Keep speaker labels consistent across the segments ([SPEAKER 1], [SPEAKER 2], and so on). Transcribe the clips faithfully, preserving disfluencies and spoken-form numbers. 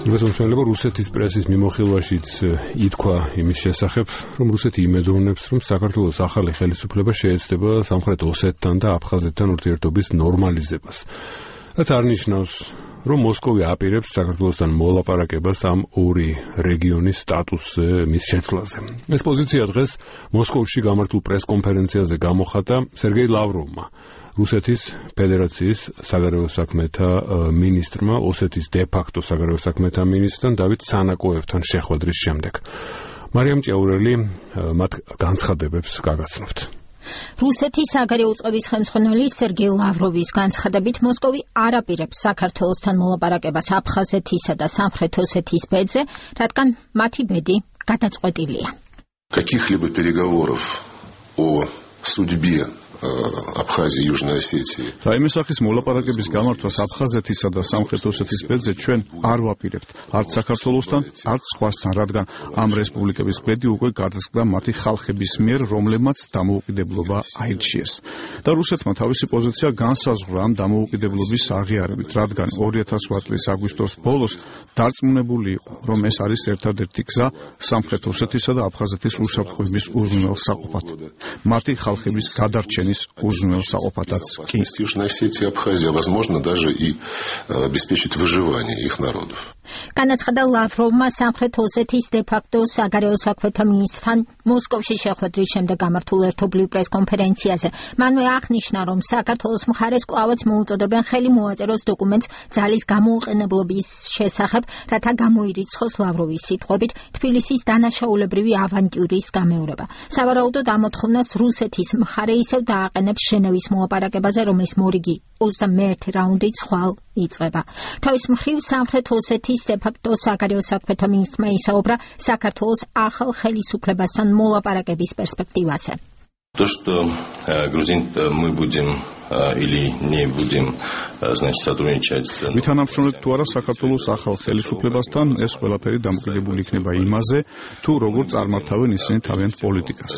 [SPEAKER 1] რუსეთის რუსეთის პრესის მიმოხილვაშიც ითქვა იმის შესახებ, რომ რუსეთი იმედოვნებს, რომ საქართველოს ახალი ხელისუფლება შეეცდება სამხრეთ ოსეთთან და აფხაზეთთან ურთიერთობის ნორმალიზებას. რაც არნიშნავს, რომ მოსკოვი აპირებს საქართველოსთან მოლაპარაკებას ამ ორი რეგიონის სტატუსზე მის შეცვლაზე. ეს პოზიცია დღეს მოსკოვში გამართულ პრესკონფერენციაზე გამოხატა სერგეი ლავროვმა, რუსეთის ფედერაციის საგარეო საქმეთა მინისტრმა, ოსეთის დე-ფაქტო საგარეო საქმეთა მინისტრთან დავით სანაკოევთან შეხვედრის შემდეგ. მარიამ ჭეურელი მათ განცხადებებს გაგაცნობთ.
[SPEAKER 2] რუსეთის საგარეო უწყების ხელმძღვანელი სერგეი ლავროვის განცხადებით მოსკოვი არ აპირებს საქართველოსთან მოლაპარაკებას აფხაზეთისა და სამხრეთ ოსეთის ბედზე, რადგან მათი ბედი გადაწყვეტილია.
[SPEAKER 3] Каких-либо переговоров о судьбе Абхазии и Южной Осетии.
[SPEAKER 4] რაიმე სახის მოლაპარაკების გამართვას აფხაზეთისა და სამხრეთ ოსეთის ბედზე ჩვენ არ ვაპირებთ, არც საქართველოსთან, არც სხვასთან, რადგან ამ რესპუბლიკების ბედი უკვე გადასკდა მათი ხალხების მიერ, რომლებმაც დამოუკიდებლობა აირჩიეს. და რუსეთმა თავისი პოზიცია განსაზღვრა ამ დამოუკიდებლობის აღიარებით, რადგან ორი ათას ოთხ წლის აგვისტოს ბოლოს დარწმუნებული იყო, რომ ეს არის ერთადერთი გზა სამხრეთ ოსეთისა და აფხაზეთის უსაფრთხოების უზრუნველ საყოფად. მათი ხალხების გადარჩენის узнал саопатац ки.
[SPEAKER 3] Южная Осетия и Абхазия, возможно, даже и обеспечить выживание их народов.
[SPEAKER 2] განაცხადა ლავროვმა სამხრეთ ოსეთის დე-ფაქტო საგარეო საქმეთა მინისტრთან მოსკოვში შეხვედრის შემდეგ გამართულ ერთობლივ პრესკონფერენციაზე. მანვე აღნიშნა, რომ საქართველოს მხარეს კვლავაც მოუწოდებენ ხელი მოაწეროს დოკუმენტს ძალის გამოუყენებლობის შესახებ, რათა გამოირიცხოს ლავროვის სიტყვებით თბილისის დანაშაულებრივი ავანტიურის გამეორება. სავარაუდოდ ამოთხოვნას რუსეთის მხარე ისევ დააყენებს ჟენევის მოლაპარაკებაზე, რომლის მორიგი ოცდამეერთი რაუნდი ხვალ იწყება. თავის მხრივ სამხრეთ ოსეთის დე-ფაქტო საგარეო საქმეთა მინისტრმა ისაუბრა საქართველოს ახალ ხელისუფლებასთან მოლაპარაკების პერსპექტივაზე.
[SPEAKER 5] То, что грузин мы будем или не будем, значит, сотрудничать.
[SPEAKER 4] Ვითანამშრომლეთ თუ არა საქართველოს ახალ ხელისუფლებასთან, ეს ყველაფერი დამოკიდებული იქნება იმაზე, თუ როგორ წარმართავენ ისინი თავიანთ პოლიტიკას.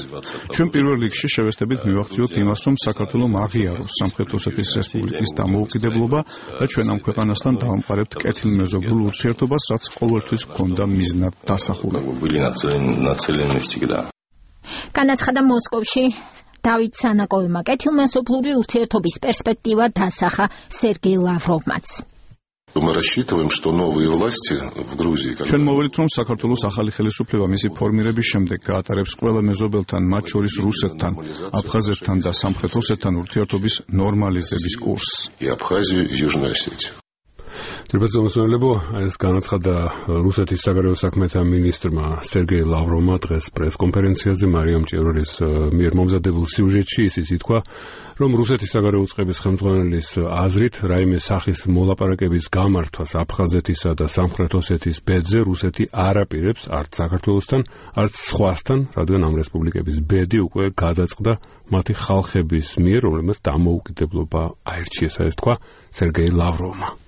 [SPEAKER 4] ჩვენ პირველ რიგში შევესწრებით მივახციოთ იმას, რომ საქართველოს აღიაროს სამხრეთ ოსეთის რესპუბლიკის დამოუკიდებლობა და ჩვენ ამ ქვეყანასთან დავამყარებთ კეთილმეზობლურ ურთიერთობას, რაც ყოველთვის გვქონდა მიზნად დასახულებული.
[SPEAKER 5] Были нацелены всегда.
[SPEAKER 2] განაცხადა მოსკოვში დავით სანაკოევმა კეთილმეზობლური ურთიერთობის პერსპექტივა დასახა სერგეი ლავროვმაც.
[SPEAKER 3] Мы рассчитываем, что новые власти в Грузии,
[SPEAKER 4] ჩვენ მოვიდით, რომ საქართველოს ახალი ხელისუფლება მისი ფორმირების შემდეგ გაატარებს ყველა მეზობელთან, მათ შორის რუსეთთან, აფხაზეთთან და სამხრეთ ოსეთთან ურთიერთობის ნორმალიზების კურსს.
[SPEAKER 3] И Абхазию, и Южную Осетию.
[SPEAKER 1] Ტრიბაზომსმენელებო, ეს განაცხადა რუსეთის საგარეო საქმეთა მინისტრმა სერგეი ლავროვმა დღეს პრესკონფერენციაზე მარიამ ჭევრელის მიერ მომზადებულ სიუჟეტში ისიც ითქვა, რომ რუსეთის საგარეო უწყების ხელმძღვანელის აზრით რაიმე სახის მოლაპარაკების გამართვას აფხაზეთისა და სამხრეთ ოსეთის ბედზე რუსეთი არ აპირებს არც საქართველოსთან, არც სხვასთან, რადგან ამ რესპუბლიკების ბედი უკვე გადაწყდა მათი ხალხების მიერ, რომლებმაც დამოუკიდებლობა აირჩიეს, ეს თქვა სერგეი ლავროვმა.